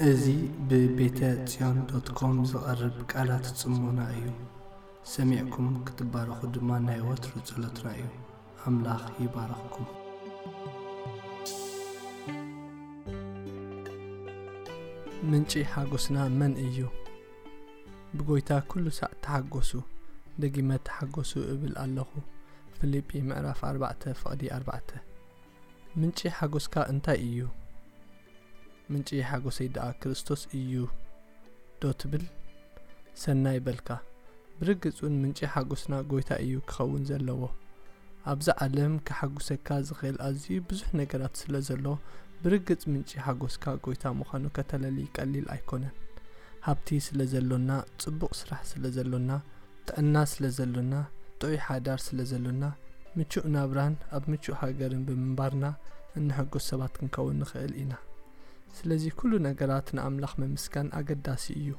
እዚ ብቤተ ጽዮን ዶት ኮም ዝቐርብ ቃላት ጽሞና እዩ። ሰሚዕኩም ክትባረኹ ድማ ናይ ወትሩ ጸሎትና እዩ። ኣምላኽ ይባርኽኩም። ምንጪ ሓጎስና መን እዩ? ብጎይታ ኩሉ ሳዕ ተሓጎሱ፣ ደጊመ ተሓጎሱ እብል ኣለኹ። ፊልጲ ምዕራፍ ኣርባዕተ ፍቕዲ ኣርባዕተ። ምንጪ ሓጎስካ እንታይ እዩ? ምንጪ ሓጎሰይ ደኣ ክርስቶስ እዩ ዶ ትብል? ሰናይ በልካ። ብርግጽ እውን ምንጪ ሓጎስና ጎይታ እዩ ክኸውን ዘለዎ። ኣብዛ ዓለም ከሓጉሰካ ዝኽእል ኣዝዩ ብዙሕ ነገራት ስለ ዘሎ፣ ብርግጽ ምንጪ ሓጎስካ ጎይታ ምዃኑ ከተለሊ ቀሊል ኣይኮነን። ሃብቲ ስለ ዘሎና፣ ጽቡቕ ስራሕ ስለ ዘሎና፣ ጥዕና ስለ ዘሎና፣ ጥዑይ ሓዳር ስለ ዘሎና፣ ምቹእ ናብራን ኣብ ምቹእ ሃገርን ብምንባርና እንሕጎስ ሰባት ክንከውን ንኽእል ኢና። ስለዚ ኩሉ ነገራት ንኣምላኽ ምምስጋን ኣገዳሲ እዩ።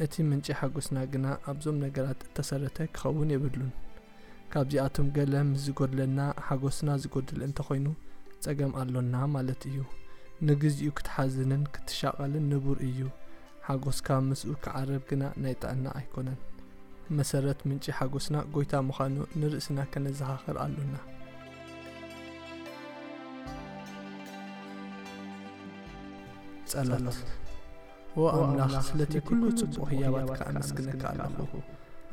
እቲ ምንጪ ሓጎስና ግና ኣብዞም ነገራት እተሰረተ ክኸውን የብሉን። ካብዚኣቶም ገለ ምስ ዝጎድለና፣ ሓጎስና ዝጎድል እንተኾይኑ፣ ጸገም ኣሎና ማለት እዩ። ንግዚኡ ክትሓዝንን ክትሻቐልን ንቡር እዩ። ሓጎስካ ምስኡ ክዓረብ ግና ናይ ጥዕና ኣይኮነን። መሰረት ምንጪ ሓጎስና ጎይታ ምዃኑ ንርእስና ከነዘኻኽር ኣሎና። ጸሎት። ኦ ኣምላኽ፣ ስለቲ ኩሉ ጽቡቕ ህያባትካ ኣመስግነካ ኣለኹ።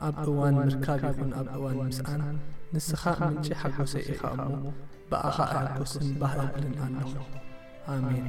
ኣብ እዋን ምርካብ ይኹን ኣብ እዋን ምስኣን፣ ንስኻ ምንጪ ሓጎሰይ ኢኻ እሞ፣ ብኣኻ እሕጎስን ባህ እብልን ኣለኹ። ኣሜን።